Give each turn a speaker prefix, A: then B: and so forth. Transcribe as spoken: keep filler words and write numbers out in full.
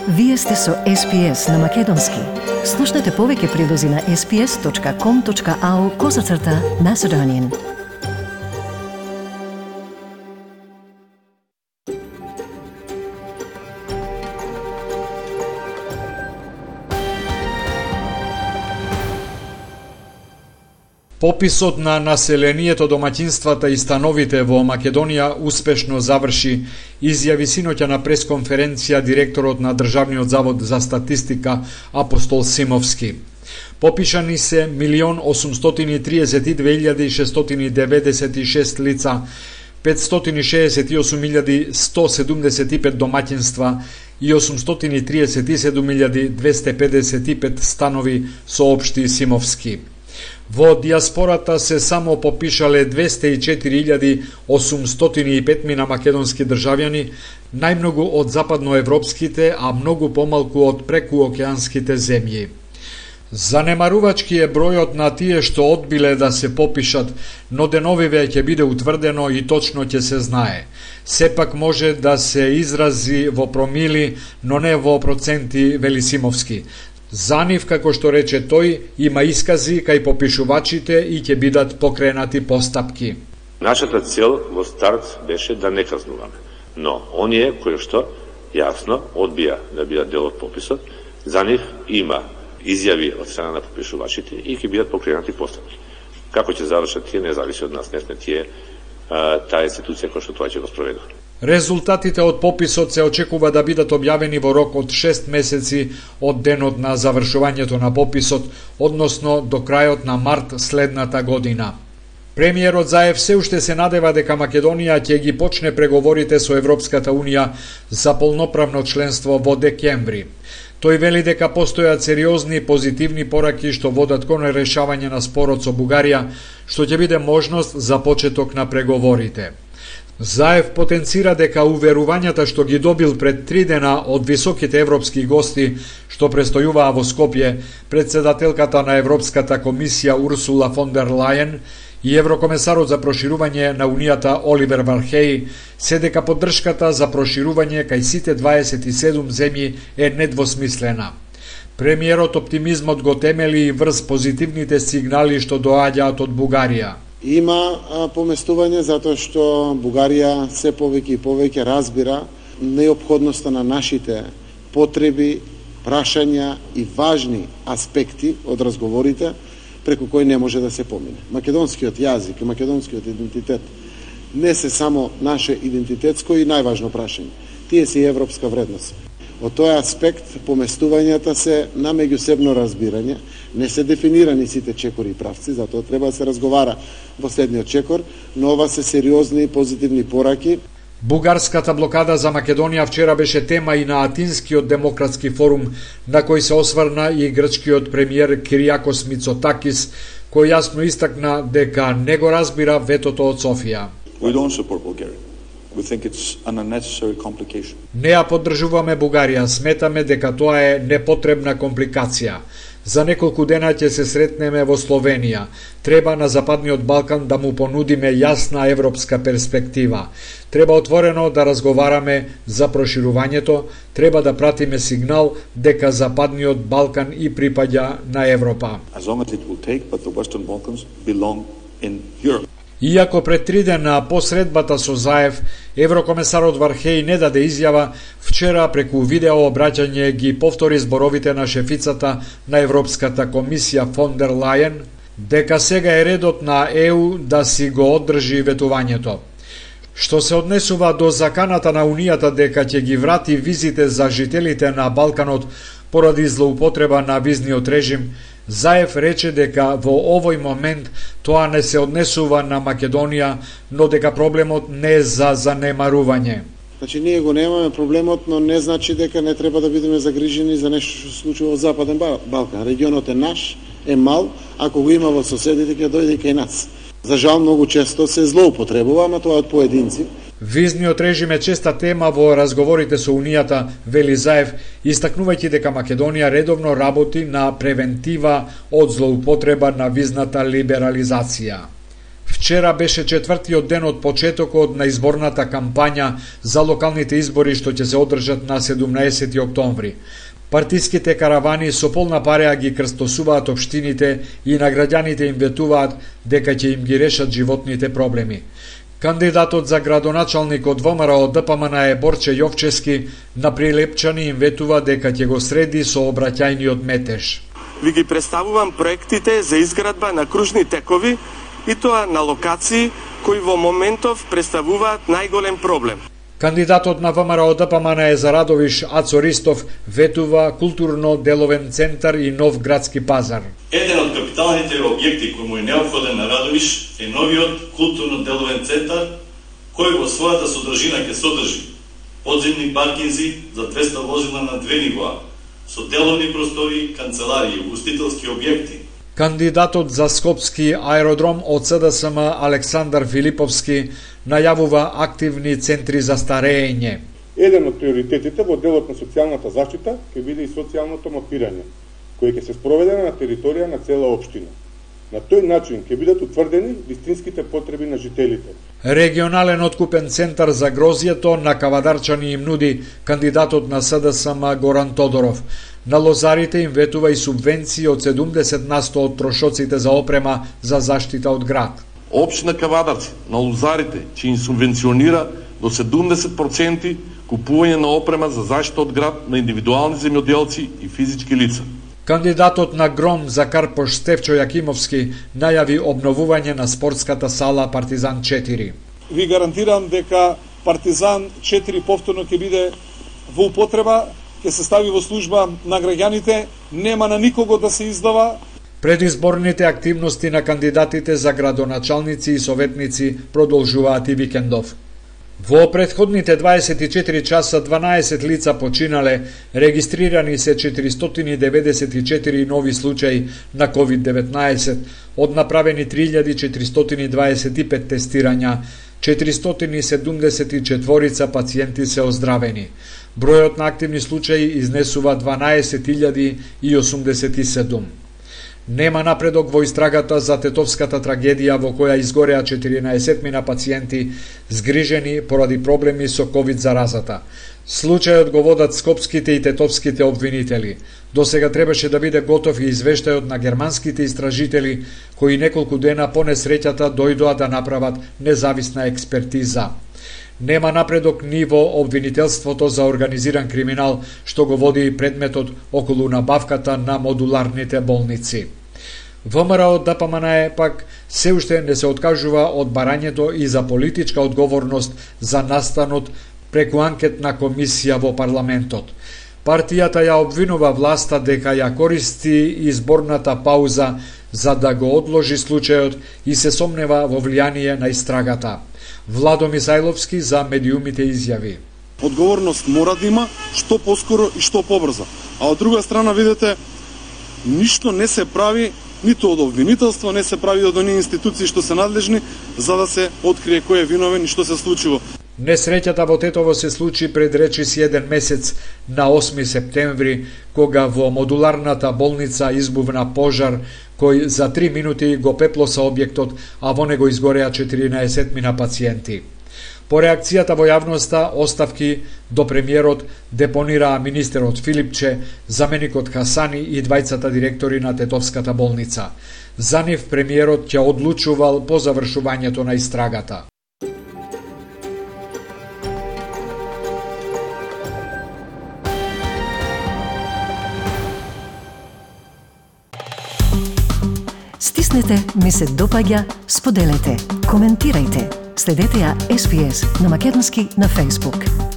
A: Вие сте со Ес Пи Ес на Македонски. Слушнете повеќе прилози на ес пи ес точка ком точка ау козацрта Macedonian.
B: Пописот на населението, домаќинствата и становите во Македонија успешно заврши, изјави синоќа на пресконференција директорот на Државниот завод за статистика Апостол Симовски. Попишани се милион осумстотини и триесет и две илјади шестстотини деведесет и шест лица, петстотини шеесет и осум илјади сто седумдесет и пет домаќинства и осумстотини триесет и седум илјади двесте педесет и пет станови, соопшти Симовски. Во диаспората се само попишале двесте и четири илјади осумстотини и пет мина македонски државјани, најмногу од западноевропските, а многу помалку од прекуокеанските земји. Занемарувачки е бројот на тие што одбиле да се попишат, но деновиве ќе биде утврдено и точно ќе се знае. Сепак може да се изрази во промили, но не во проценти, вели Симовски. За нив, како што рече тој, има искази кај попишувачите и ќе бидат покренати постапки.
C: Нашата цел во старт беше да не казнуваме, но оние кои што јасно одбија да бидат дел од пописот, за нив има изјави од страна на попишувачите и ќе бидат покренати постапки. Како ќе завршат тие, не зависи од нас, не сме тие таа институција која што тоа ќе го спроведува.
B: Резултатите од пописот се очекува да бидат објавени во рок од шест месеци од денот на завршувањето на пописот, односно до крајот на март следната година. Премиерот Заев се уште се надева дека Македонија ќе ги почне преговорите со Европската Унија за полноправно членство во декември. Тој вели дека постојат сериозни позитивни пораки што водат кон решавање на спорот со Бугарија, што ќе биде можност за почеток на преговорите. Заев потенцира дека уверувањата што ги добил пред три дена од високите европски гости што престојуваа во Скопје, председателката на Европската комисија Урсула фон дер Лајен и еврокомесарот за проширување на Унијата Оливер Вархеј, се дека поддршката за проширување кај сите дваесет и седум земји е недвосмислена. Премиерот оптимизмот го темели и врз позитивните сигнали што доаѓаат од Бугарија.
D: Има а, поместување затоа што Бугарија се повеќе и повеќе разбира неопходноста на нашите потреби, прашања и важни аспекти од разговорите преку кои не може да се помине. Македонскиот јазик и македонскиот идентитет не се само наше идентитетско и најважно прашање. Тие се и европска вредност. Од тој аспект поместувањата се на меѓусебно разбирање, не се дефинирани сите чекори и правци, затоа треба да се разговара во следниот чекор, но ова се сериозни и позитивни пораки.
B: Бугарската блокада за Македонија вчера беше тема и на Атинскиот демократски форум, на кој се осврна и грчкиот премиер Кириакос Мицотакис, кој јасно истакна дека не го разбира ветото од Софија.
E: We don't support Bulgaria. We think it's an unnecessary complication.
B: Не ја поддржуваме Бугарија, сметаме дека тоа е непотребна компликација. За неколку дена ќе се сретнеме во Словенија. Треба на Западниот Балкан да му понудиме јасна европска перспектива. Треба отворено да разговараме за проширувањето, треба да пратиме сигнал дека Западниот Балкан и припаѓа на Европа.
E: As long as it will take, but the Western Balkans belong in Europe.
B: Иако пред три дена по средбата со Заев, еврокомесарот Вархеј не даде изјава, вчера преку видео обраќање ги повтори зборовите на шефицата на Европската комисија фон дер Лајен, дека сега е редот на Е У да си го оддржи ветувањето. Што се однесува до заканата на Унијата дека ќе ги врати визите за жителите на Балканот поради злоупотреба на визниот режим, Заев рече дека во овој момент тоа не се однесува на Македонија, но дека проблемот не е за занемарување.
D: Значи ние го немаме проблемот, но не значи дека не треба да бидеме загрижени за нешто што се случува во Западен Балкан. Регионот е наш, е мал, ако го има во соседите ќе дојде и кај нас. За жал многу често се злоупотребува, ама тоа од поединци.
B: Визниот режим е честа тема во разговорите со Унијата, вели Заев, истакнувајќи дека Македонија редовно работи на превентива од злоупотреба на визната либерализација. Вчера беше четвртиот ден од почетокот на изборната кампања за локалните избори што ќе се одржат на седумнаесети октомври. Партиските каравани со полна пареа ги крстосуваат општините и на граѓаните им ветуваат дека ќе им ги решат животните проблеми. Кандидатот за градоначалник од ВМРО Д П М Н е Борче Јовчевски на Прилепчани им ветува дека ќе го среди со обраќајниот метеж.
F: Ви ги представувам проектите за изградба на кружни текови и тоа на локации кои во моментов представуваат најголем проблем.
B: Кандидатот на ВМРО Д П М Н е за Радовиш Ацо Ристов ветува културно-деловен центар и нов градски пазар.
G: Еден од капиталните објекти кој му е неопходен на Радовиш е новиот културно-деловен центар, кој во својата содржина ќе содржи подземни паркинзи за двеста возила на две нивоа, со деловни простори, канцеларии, устителски објекти.
B: Кандидатот за Скопски аеродром од С Д С М Александар Филиповски најавува активни центри за старење.
H: Еден од приоритетите во делот на социјалната заштита ќе биде и социјалното мапирање, кој ќе се спроведе на територија на цела општина. На тој начин ќе бидат утврдени вистинските потреби на жителите.
B: Регионален откупен центар за грозјето на Кавадарчани им нуди кандидатот на С Д С М Горан Тодоров. На лозарите им ветува и субвенции од седумдесет на сто од трошоците за опрема за заштита од град.
I: Општина Кавадарци на лозарите ќе им субвенционира до седумдесет проценти купување на опрема за заштита од град на индивидуални земјоделци и физички лица.
B: Кандидатот на Гром за Карпош Стефчо Јакимовски најави обновување на спортската сала Партизан четири.
J: Ви гарантирам дека Партизан четири повторно ќе биде во употреба, ќе се стави во служба на граѓаните, нема на никого да се издава.
B: Предизборните активности на кандидатите за градоначалници и советници продолжуваат и викендов. Во претходните дваесет и четири часа дванаесет лица починале, регистрирани се четиристотини деветдесет и четири нови случаи на ковид деветнаесет, од направени три илјади четиристотини дваесет и пет тестирања, четиристотини седумдесет и четири пациенти се оздравени. Бројот на активни случаи изнесува дванаесет илјади и осумдесет и седум. Нема напредок во истрагата за тетовската трагедија во која изгореа четиринаесет мина пациенти згрижени поради проблеми со ковид заразата. Случајот го водат скопските и тетовските обвинители. До сега требаше да биде готов и извештајот на германските истражители кои неколку дена по несреќата дојдоа да направат независна експертиза. Нема напредок ни во обвинителството за организиран криминал, што го води предметот околу набавката на модуларните болници. ВМРО Д П М Н е пак се уште не се откажува од барањето и за политичка одговорност за настанот преку анкетна комисија во парламентот. Партијата ја обвинува власта дека ја користи изборната пауза за да го одложи случајот и се сомнева во влијание на истрагата. Владо Мисајловски за медиумите изјави:
J: Одговорност мора да има што поскоро и што побрзо. А од друга страна, видите, ништо не се прави ниту од обвинителство, не се прави од оние институции што се надлежни за да се открие кој е виновен и што се случило.
B: Несреќата во Тетово се случи пред речиси еден месец на осми септември, кога во модуларната болница избувна пожар кој за три минути го пеплоса објектот, а во него изгореа четиринаесет мина пациенти. По реакцијата во јавноста, оставки до премиерот депонираа министерот Филипче, заменикот Хасани и двајцата директори на Тетовската болница. За нив премиерот ќе одлучувал по завршувањето на истрагата.
A: Стиснете, ми се допаѓа, споделете, коментирајте. Следете ја Ес Би Ес на македонски на Facebook.